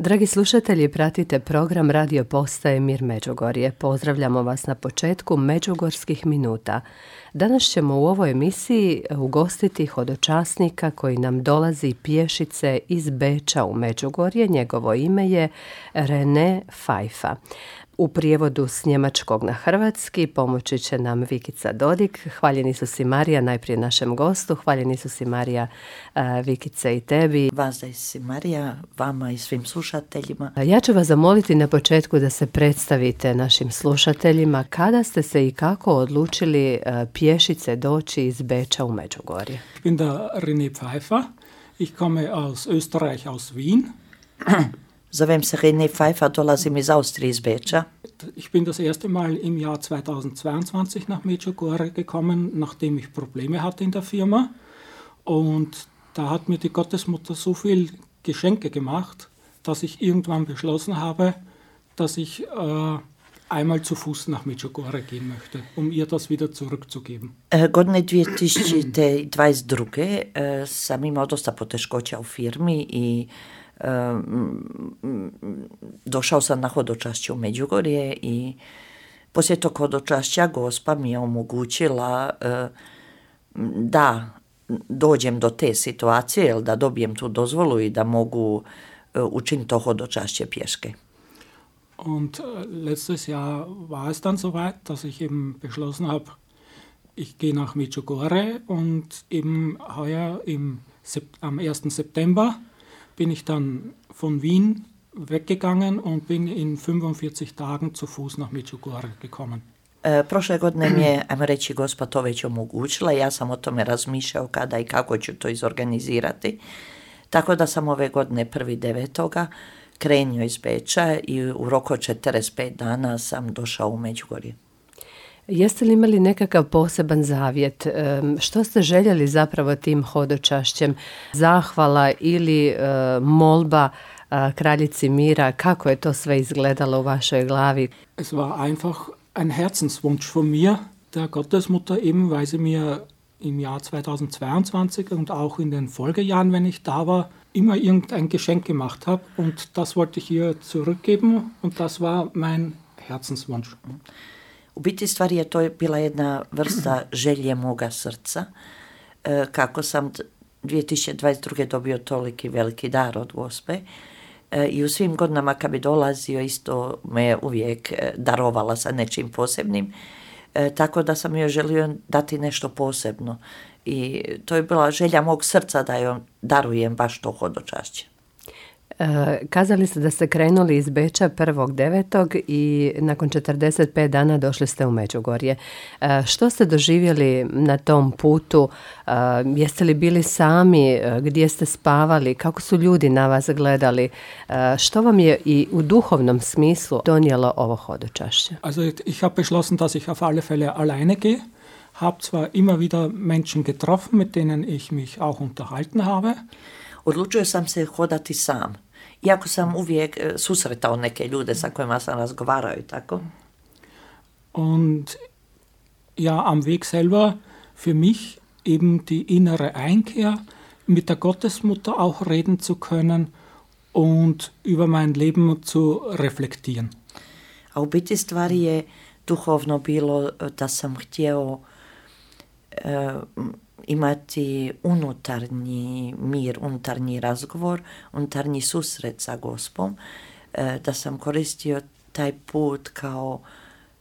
Dragi slušatelji, pratite program Radio Postaje Mir Međugorje. Pozdravljamo vas na početku Međugorskih minuta. Danas ćemo u ovoj emisiji ugostiti hodočasnika koji nam dolazi pješice iz Beča u Međugorje. Njegovo ime je René Pfeiffer. U prijevodu s njemačkog na hrvatski pomoći će nam Vikica Dodik. Hvaljeni su si Marija, najprije našem gostu. Hvaljeni su si Marija, Vikice i tebi. Vazdaj si Marija, vama i svim slušateljima. Ja ću vas zamoliti na početku da se predstavite našim slušateljima. Kada ste se i kako odlučili pješice doći iz Beča u Međugorje? Ich bin der René Pfeiffer. Ich komme aus Österreich, aus Wien. Zovem se René Pfeiffer, dolazim iz Austrije, iz Beča. Ich bin das erste Mal im Jahr 2022 nach Medjugorje gekommen, nachdem ich Probleme hatte in der Firma. Und da hat mir die Gottesmutter so viel Geschenke gemacht, dass ich irgendwann beschlossen habe, dass ich einmal zu Fuß nach Medjugorje gehen möchte, um ihr das wieder zurückzugeben. Godine 2022 sam imao dosta poteškoća u firmi i došao sam na hodočašće u Međugorje i poslije tog hodočašća Gospa mi je omogućila da dođem do te situacije, da dobijem tu dozvolu i da mogu učiniti to hodočašće pješke. Und letztes Jahr war es dann soweit, dass ich eben beschlossen habe, ich gehe nach Medjugorje und eben heuer am 1. September bin ich dann von Wien weggegangen und bin in 45 Tagen zu Fuß nach Medjugorje gekommen. Prošle godine mi je, ajmo reći, Gospa to već omogućila. Ja sam o tome razmišljao kada i kako ću to izorganizirati. Tako da sam ove godine 1.9. krenio iz Beča i u roku od 45 dana sam došao u Međugorje. Jeste li imali nekakav poseban zavjet? Što ste željeli zapravo tim hodočašćem? Zahvala ili molba kraljici mira? Kako je to sve izgledalo u vašoj glavi? Es war einfach ein Herzenswunsch von mir, der Gottesmutter, eben weil sie mir im Jahr 2022 und auch in den Folgejahren, wenn ich da war, immer irgendein Geschenk gemacht habe. Und das wollte ich ihr zurückgeben und das war mein Herzenswunsch. U biti stvari je to bila jedna vrsta želje moga srca. Kako sam 2022. dobio toliki veliki dar od Gospe i u svim godinama kad bi dolazio isto me uvijek darovala sa nečim posebnim. Tako da sam joj želio dati nešto posebno. I to je bila želja mog srca da joj darujem baš to hodočašće. Kazali ste da ste krenuli iz Beča 1.9. i nakon 45 dana došli ste u Međugorje. Što ste doživjeli na tom putu? Jeste li bili sami? Gdje ste spavali? Kako su ljudi na vas gledali? Što vam je i u duhovnom smislu donijelo ovo hodočašće? Also ich habe beschlossen, dass ich auf alle Fälle alleine gehe. Habe zwar immer wieder Menschen getroffen, mit denen ich mich auch unterhalten habe. Odlučio sam se hodati sam. Iako sam uvijek susretao neke ljude sa kojima sam razgovarao i tako. Und ja, am Weg selber für mich eben die innere Einkehr, mit der Gottesmutter auch reden zu können und über mein Leben zu reflektieren. A u biti stvari je duhovno bilo da sam htio imati unutarnji mir, unutarnji razgovor, unutarnji susret sa Gospom, da sam koristio taj put kao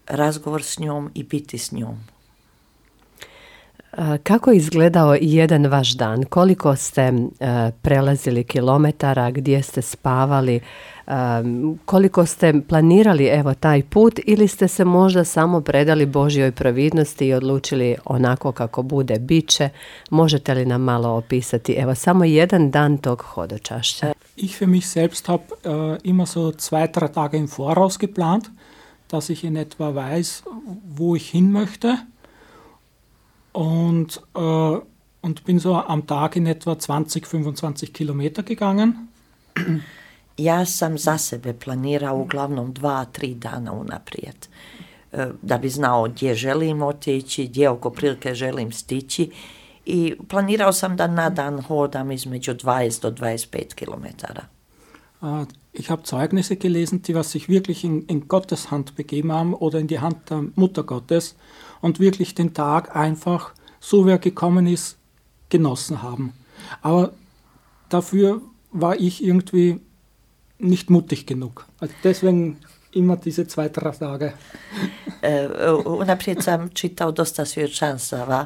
razgovor s njom i biti s njom. Kako je izgledao jedan vaš dan? Koliko ste prelazili kilometara, gdje ste spavali, koliko ste planirali evo taj put ili ste se možda samo predali Božjoj providnosti i odlučili onako kako bude biće? Možete li nam malo opisati evo samo jedan dan tog hodočašća? Ich für mich selbst habe immer so 2-3 Tage im Voraus geplant, dass ich in etwa weiß, wo ich hin möchte. Und bin so am Tag in etwa 20-25 Kilometer gegangen. Ja sam za sebe planirao uglavnom 2-3 dana unaprijed. Da bi znao gdje želim otići, gdje oko prilike želim stići. I planirao sam da na dan hodam između 20 do 25 kilometara. Ich habe Zeugnisse gelesen, die was sich wirklich in Gottes Hand begeben haben oder in die Hand der Mutter Gottes und wirklich den Tag einfach, so wie er gekommen ist, genossen haben. Aber dafür war ich irgendwie nicht mutig genug. Also deswegen ima diese 2-3 Tage. Unaprijed sam čitao dosta svjedočanstava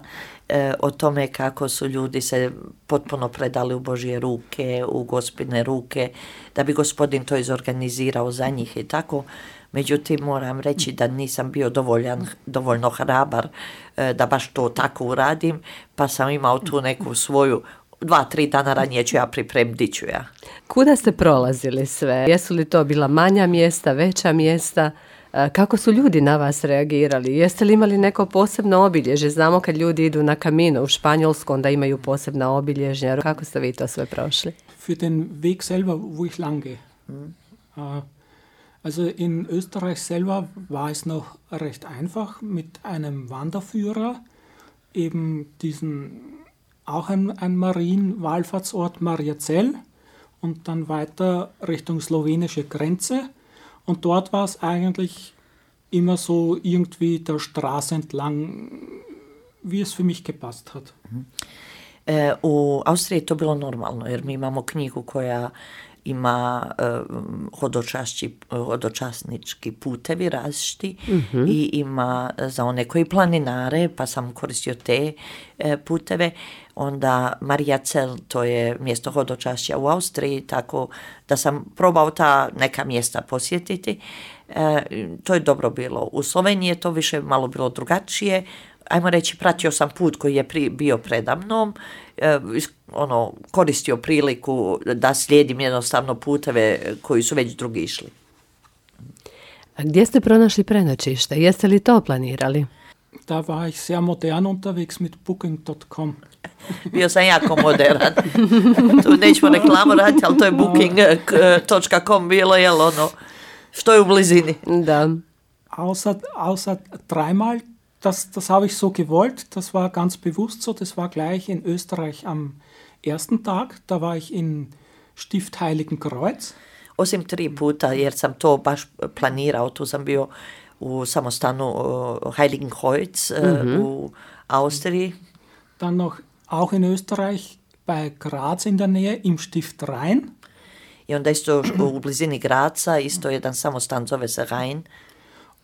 o tome kako su ljudi se potpuno predali u Božje ruke, u Gospine ruke, da bi Gospodin to izorganizirao za njih i tako. Međutim, moram reći da nisam bio dovoljno hrabar da baš to tako uradim, pa sam imao tu neku svoju 2-3 dana ranije ću ja pripremiti, ću ja. Kuda ste prolazili sve? Jesu li to bila manja mjesta, veća mjesta? Kako su ljudi na vas reagirali? Jeste li imali neko posebno obilježje? Znamo kad ljudi idu na Camino u Španjolsku, onda imaju posebna obilježja. Kako ste vi to sve prošli? Für den Weg selber, wo ich lang gehe. Also in Österreich selber war es noch recht einfach mit einem Wanderführer, eben diesen auch ein Marienwallfahrtsort Mariazell und dann weiter Richtung slowenische Grenze. Und dort war es eigentlich immer so irgendwie der Straße entlang, wie es für mich gepasst hat. U Austriji je to bilo normalno, jer mi imamo knjigu koja ima hodočasnički putevi različiti i ima za one koji planinare, pa sam koristio te puteve. Onda Mariazell, to je mjesto hodočašća u Austriji, tako da sam probao ta neka mjesta posjetiti. To je dobro bilo. U Sloveniji je to više malo bilo drugačije. Ajmo reći, pratio sam put koji je bio predamnom, koristio priliku da slijedim jednostavno puteve koji su već drugi išli. A gdje ste pronašli prenoćište? Jeste li to planirali? Da war ich sehr modern unterwegs mit Booking.com. Bio sam jako moderan. Tu nećemo reklamu raditi, ali to je Booking.com bilo, jel što je u blizini. Da. Außer dreimal, das habe ich so gewollt, das war ganz bewusst so, das war gleich in Österreich am ersten Tag, da war ich in Stift Heiligenkreuz. Osim 3 puta, jer sam to baš planirao, tu sam bio u samostanu Heiligenkreuz u Austriji. Dann noch auch in Österreich bei Graz in der Nähe im Stift Rhein. I onda isto u blizini Graca, isto jedan samostan zove se Rhein.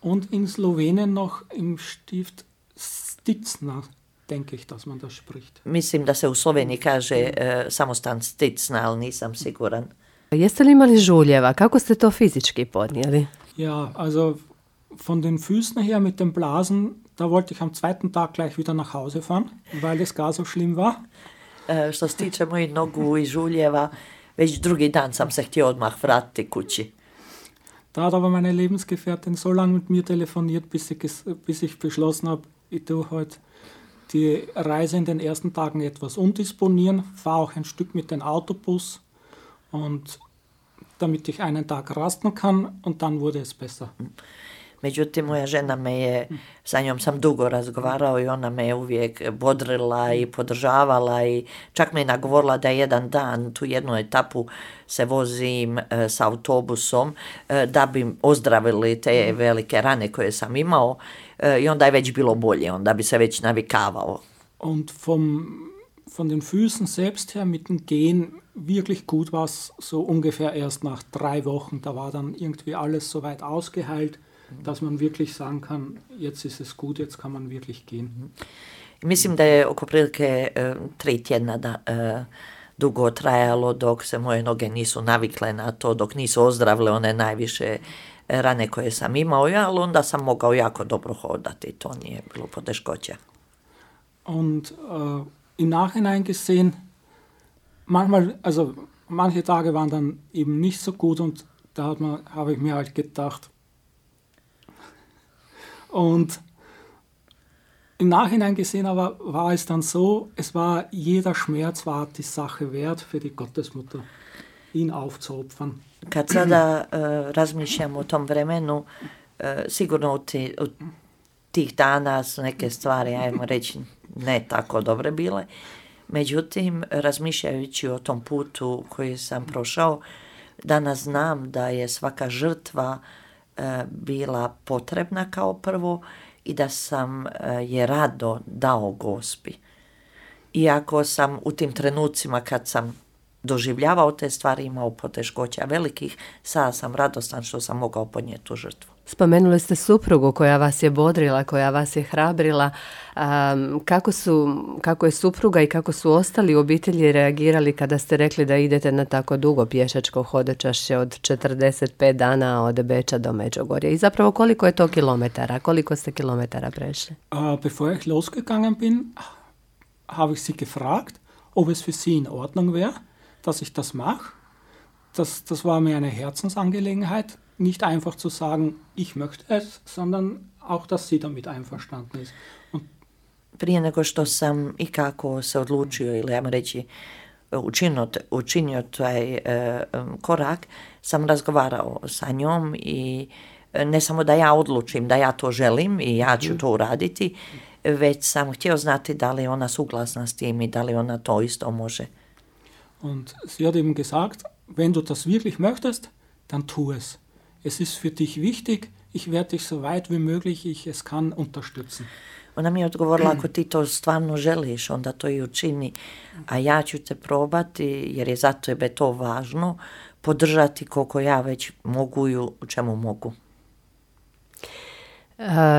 Und in Slowenien noch im Stift Sticna, denke ich, dass man das spricht. Mislim da se u Sloveniji kaže samostan Sticna, ali nisam siguran. Jeste li imali žuljeva? Kako ste to fizički podnijeli? Ja, also von den Füßen her mit dem Blasen, da wollte ich am 2. Tag gleich wieder nach Hause fahren, weil es gar so schlimm war. Što se tiče mojih nogu i žuljeva, već drugi dan sam se htio odmah vratiti kući. Da hat aber meine Lebensgefährtin so lange mit mir telefoniert, bis ich beschlossen habe, ich tue heute die Reise in den ersten Tagen etwas umdisponieren, fahre auch ein Stück mit dem Autobus und damit ich einen Tag rasten kann und dann wurde es besser. Međutim, moja žena sa njom sam dugo razgovarao i ona me je uvijek bodrila i podržavala i čak me je nagovorila da jedan dan, tu jednu etapu se vozim s autobusom da bi ozdravili te velike rane koje sam imao i onda je već bilo bolje, onda bi se već navikavao. Und von den Füßen selbst her mit dem Gehen wirklich gut war es so ungefähr erst nach 3 Wochen. Da war dann irgendwie alles so weit ausgeheilt, dass man wirklich sagen kann, jetzt ist es gut, jetzt kann man wirklich gehen. Mislim da je oko prilike 3 tjedna dugo trajalo dok se moje noge nisu navikle na to, dok nisu ozdravile one najviše rane koje sam imao, ali onda sam mogao jako dobro hodati, to nije bilo poteškoća. Und im Nachhinein gesehen, manche Tage waren dann eben nicht so gut und da habe ich mir halt gedacht, und im Nachhinein gesehen aber war es dann so, es war jeder Schmerz war die Sache wert für die Gottesmutter, ihn aufzuopfern. Kad sada razmišljam o tom vremenu, sigurno u tih dana su neke stvari, ajmo reći, ne tako dobre bile. Međutim, razmišljajući o tom putu koji sam prošao, Danas znam da je svaka žrtva bila potrebna kao prvo i da sam je rado dao Gospi. Iako sam u tim trenucima kad sam doživljavao te stvari, imao poteškoća velikih, sada sam radostan što sam mogao podnijeti tu žrtvu. Spomenuli ste suprugu koja vas je bodrila, koja vas je hrabrila. Kako je supruga i kako su ostali u obitelji reagirali kada ste rekli da idete na tako dugo pješačko hodočašće od 45 dana od Beča do Međugorja? I zapravo koliko je to kilometara? Koliko ste kilometara prešli? Bevor ich losgegangen bin, habe ich sie gefragt, ob es für sie in Ordnung wäre, dass ich das mache. Das war mir eine Herzensangelegenheit. Nicht einfach zu sagen, ich möchte es, sondern auch, dass sie damit einverstanden ist. Prije nego što sam i kako se odlučio ili ajmo reći učinio taj korak, sam razgovarao sa njom i ne samo da ja odlučim da ja to želim i ja ću to uraditi, već sam htio znati da li je ona suglasna s tim i da li ona to isto može. Und sie hat eben gesagt, wenn du das wirklich möchtest, dann tu es. Es ist für dich wichtig, ich werde dich so weit wie möglich ich es kann unterstützen. Ona mi je odgovorila, ako ti to stvarno želiš, onda to i učini, a ja ću te probati, jer je za tebe to važno, podržati koliko ja već mogu i u čemu mogu.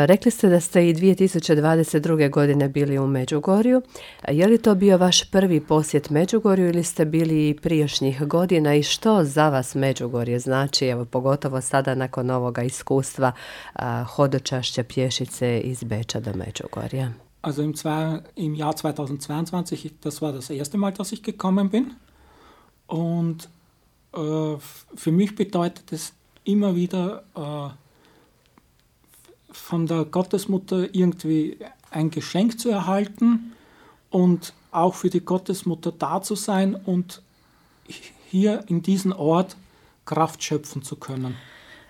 Rekli ste da ste i 2022. godine bili u Međugorju. Je li to bio vaš prvi posjet Međugorju ili ste bili i prijašnjih godina i što za vas Međugorje znači, evo pogotovo sada nakon ovoga iskustva hodočašća pješice iz Beča do Međugorja? Also im Jahr 2022, das war das erste Mal, dass ich gekommen bin. Und für mich bedeutet es immer wieder von der Gottesmutter irgendwie ein Geschenk zu erhalten und auch für die Gottesmutter da zu sein und hier in diesen Ort Kraft schöpfen zu können.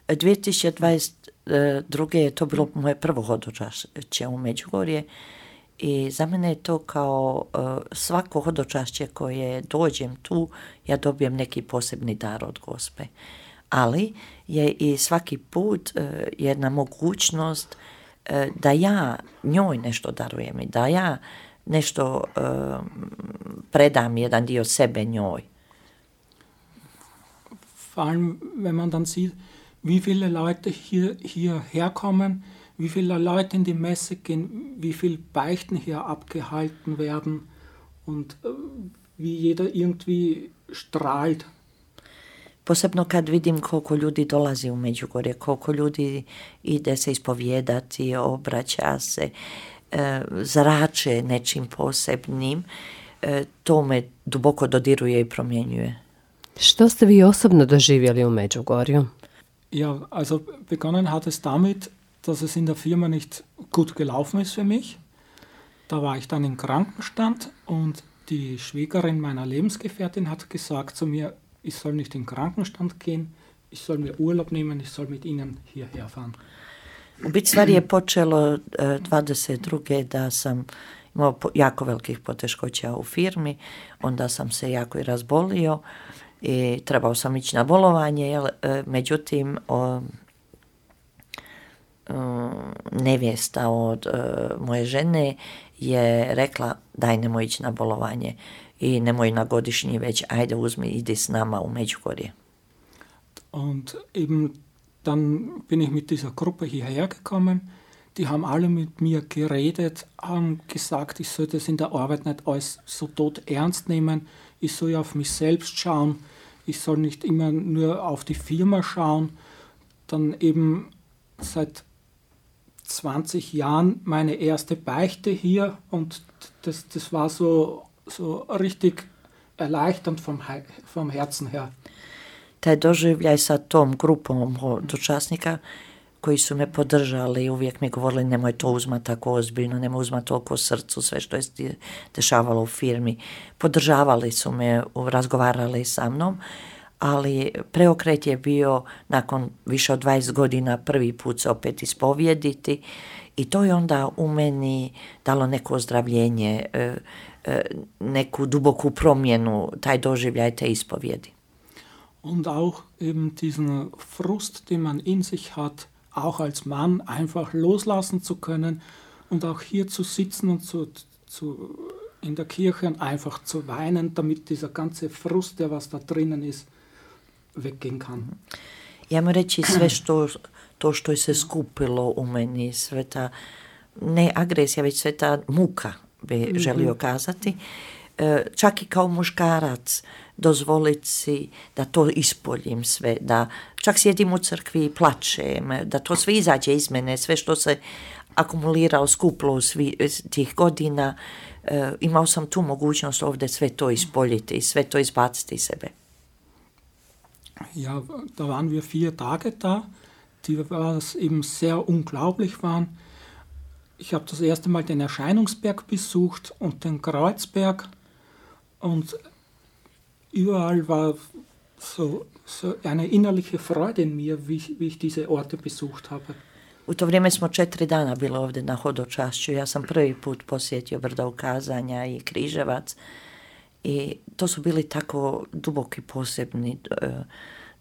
2022. je to bilo moje prvo hodočašće u Međugorje i za mene je to kao svako hodočašće koje dođem tu, ja dobijem neki posebni dar od Gospe. Ali je i svaki put jedna mogućnost da ja njoj nešto darujem i da ja nešto predam jedan dio sebe njoj. Vor allem, wenn man dann sieht, wie viele Leute hierher kommen, wie viele Leute in die Messe gehen, wie viele Beichten hier abgehalten werden und wie jeder irgendwie strahlt. Posebno kad vidim koliko ljudi dolazi u Međugorje, koliko ljudi ide se ispovijedati, obraća se, zrače nečim posebnim, to me duboko dodiruje i promjenjuje. Što ste vi osobno doživjeli u Međugorju? Ja, also begonnen hat es damit, dass es in der Firma nicht gut gelaufen ist für mich. Da war ich dann im Krankenstand und die Schwägerin meiner Lebensgefährtin hat gesagt zu mir, ich soll nicht in den Krankenstand gehen, ich soll mir Urlaub nehmen, ich soll mit ihnen hierher fahren. U biti stvari je počelo 22. da sam imao jako velikih poteškoća u firmi, onda sam se jako i razbolio i trebao sam ići na bolovanje, međutim nevjesta od moje žene je rekla daj nemoj ići na bolovanje i nemoj na godišnji, već ajde uzmi, idi s nama u Međugorje. Und eben dann bin ich mit dieser Gruppe hierher gekommen. Die haben alle mit mir geredet, haben gesagt, ich soll das in der Arbeit nicht alles so tot ernst nehmen. Ich soll auf mich selbst schauen. Ich soll nicht immer nur auf die Firma schauen. Dann eben seit 20 Jahren meine erste Beichte hier und das war so richtig erleichternd vom Herzen her. Taj doživljaj sa tom grupom hodočasnika koji su me podržali, uvijek mi govorili nemoj to uzmati tako ozbiljno, nemoj uzmati toliko srcu, sve što je dešavalo u firmi. Podržavali su me, razgovarali sa mnom, ali preokret je bio nakon više od 20 godina prvi put se opet ispovijediti i to je onda u meni dalo neko ozdravljenje, neku duboku promjenu, taj doživljaj te ispovjedi. Und auch eben diesen Frust, den man in sich hat, auch als Mann einfach loslassen zu können und auch hier zu sitzen und in der Kirche und einfach zu weinen, damit dieser ganze Frust, der was da drinnen ist, weggehen kann. Ja mu reći sve to što je se skupilo u meni, sve ta, ne agresija, već sve ta muka bi želio kazati. Čak i kao muškarac dozvoliti si da to ispoljim sve, da čak sjedim u crkvi i plačem, da to sve izađe iz mene, sve što se akumulirao, skuplo u tih godina, imao sam tu mogućnost ovdje sve to ispoljiti i sve to izbaciti iz sebe. Ja, da waren wir 4 Tage da, die eben sehr unglaublich waren. Ich habe das erste Mal den Erscheinungsberg besucht und den Kreuzberg und überall war so eine innerliche Freude in mir, wie ich diese Orte besucht habe. U to vrijeme smo 4 dana bili ovdje na hodočašću. Ja sam prvi put posjetio Brdo ukazanja i Križevac i to su bili tako duboki posebni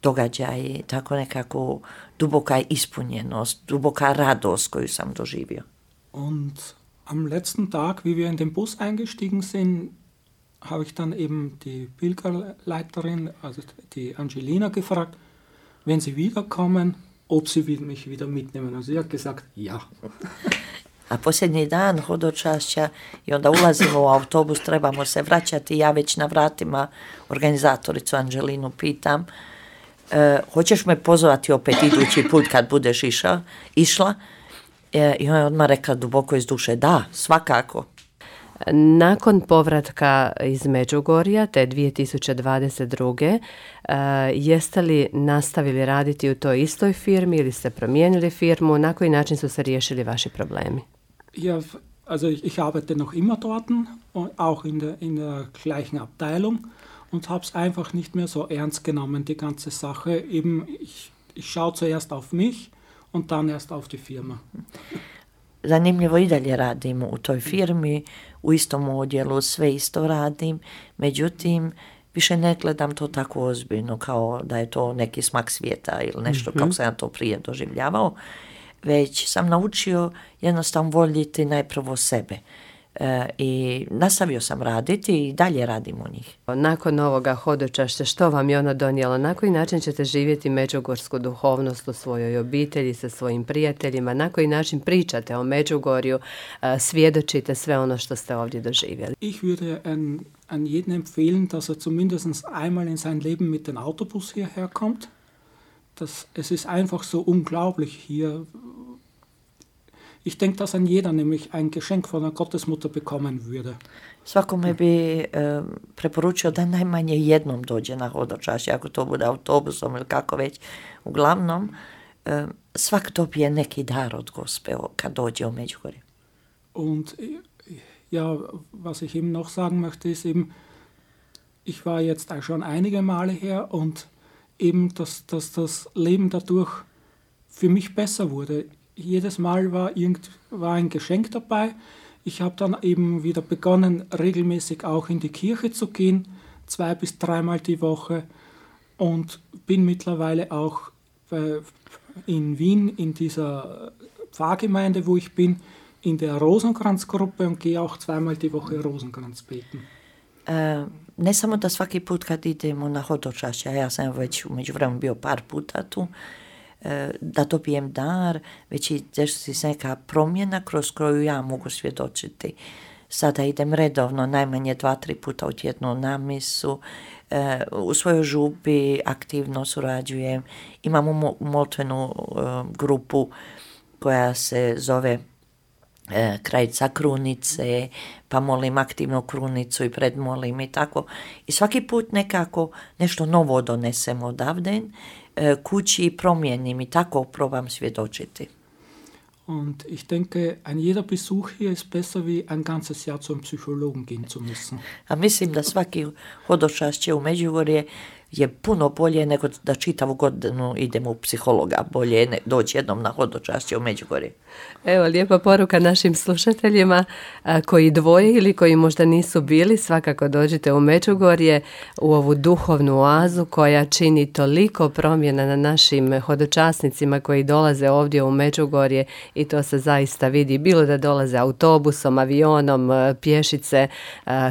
događaji, tako nekako duboka ispunjenost, duboka radost koju sam doživio. Und am letzten Tag, wie wir in den Bus eingestiegen sind, habe ich dann eben die Pilgerleiterin, also die Angelina, gefragt, wenn sie wiederkommen, ob sie mich wieder mitnehmen. Also sie hat gesagt, ja. A posljednji dan hodočašća i onda ulazimo u autobus, trebamo se vraćati, ja već na vratima organizatoricu Angelinu pitam, hoćeš me pozvati opet idući put kad budeš išla? I ona je odmah rekla duboko iz duše, da, svakako. Nakon povratka iz Međugorja, te 2022. Jeste li nastavili raditi u toj istoj firmi ili ste promijenili firmu? Na koji način su se riješili vaši problemi? Ja, also ich arbeite noch immer dort, auch in der gleichen Abteilung und habe es einfach nicht mehr so ernst genommen, die ganze Sache. Eben, ich schaue zuerst auf mich und dann erst auf die Firma. Zanimljivo i dalje radim u toj firmi, u istom odjelu, sve isto radim, međutim, više ne gledam to tako ozbiljno kao da je to neki smak svijeta ili nešto kako sam ja to prije doživljavao, već sam naučio jednostavno voljeti najprvo sebe. I nastavio sam raditi i dalje radim u njih. Nakon ovoga hodočašća, što vam je ono donijelo? Na koji način ćete živjeti međugorsku duhovnost u svojoj obitelji, sa svojim prijateljima? Na koji način pričate o Međugorju, svjedočite sve ono što ste ovdje doživjeli? Ich würde an jeden empfehlen, dass zumindest einmal in sein Leben mit dem Autobus hierher kommt. Es ist einfach so unglaublich hier. Ich denke, dass an jeder nämlich ein Geschenk von der Gottesmutter bekommen würde. Svakome bi preporučio da najmanje jednom dođe na hodočašće, ako to bude autobusom ili kako već. Uglavnom, svak dobije neki dar od Gospe kad dođe u Međugorje. Und ja, was ich eben noch sagen möchte, ist eben, ich war jetzt auch schon einige Male her und eben, dass das Leben dadurch für mich besser wurde. Jedes Mal war ein Geschenk dabei. Ich habe dann eben wieder begonnen, regelmäßig auch in die Kirche zu gehen, 2 bis 3 Mal die Woche und bin mittlerweile auch in Wien in dieser Pfarrgemeinde, wo ich bin, in der Rosenkranzgruppe und gehe auch 2-mal die Woche Rosenkranz beten. Ne samo da svaki put kad idemo na hodočašće, ja sam već u međuvremenu bio par puta tu, da dobijem dar, već i desi se neka promjena kroz koju ja mogu svjedočiti. Sada idem redovno, najmanje 2-3 puta u tjednu na misu, u svojoj župi aktivno surađujem, imamo moltvenu grupu koja se zove Krajica krunice, pa molim aktivno krunicu i predmolim i tako. I svaki put nekako nešto novo donesem odavde kući i promijenim i tako probam svjedočiti. Und ich denke, ein jeder Besuch hier ist besser wie ein ganzes Jahr zum Psychologen gehen zu müssen. A mislim da svaki hodočašće u Međugorje je puno bolje nego da čitavu godinu idemo u psihologa. Bolje je doći jednom na hodočašće u Međugorje. Evo, lijepa poruka našim slušateljima koji dvoje ili koji možda nisu bili, svakako dođite u Međugorje, u ovu duhovnu oazu koja čini toliko promjena na našim hodočasnicima koji dolaze ovdje u Međugorje i to se zaista vidi, bilo da dolaze autobusom, avionom, pješice,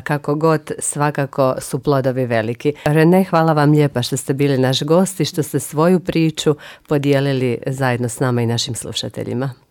kako god, svakako su plodovi veliki. Rene, hvala vam lijepa što ste bili naš gost i što ste svoju priču podijelili zajedno s nama i našim slušateljima.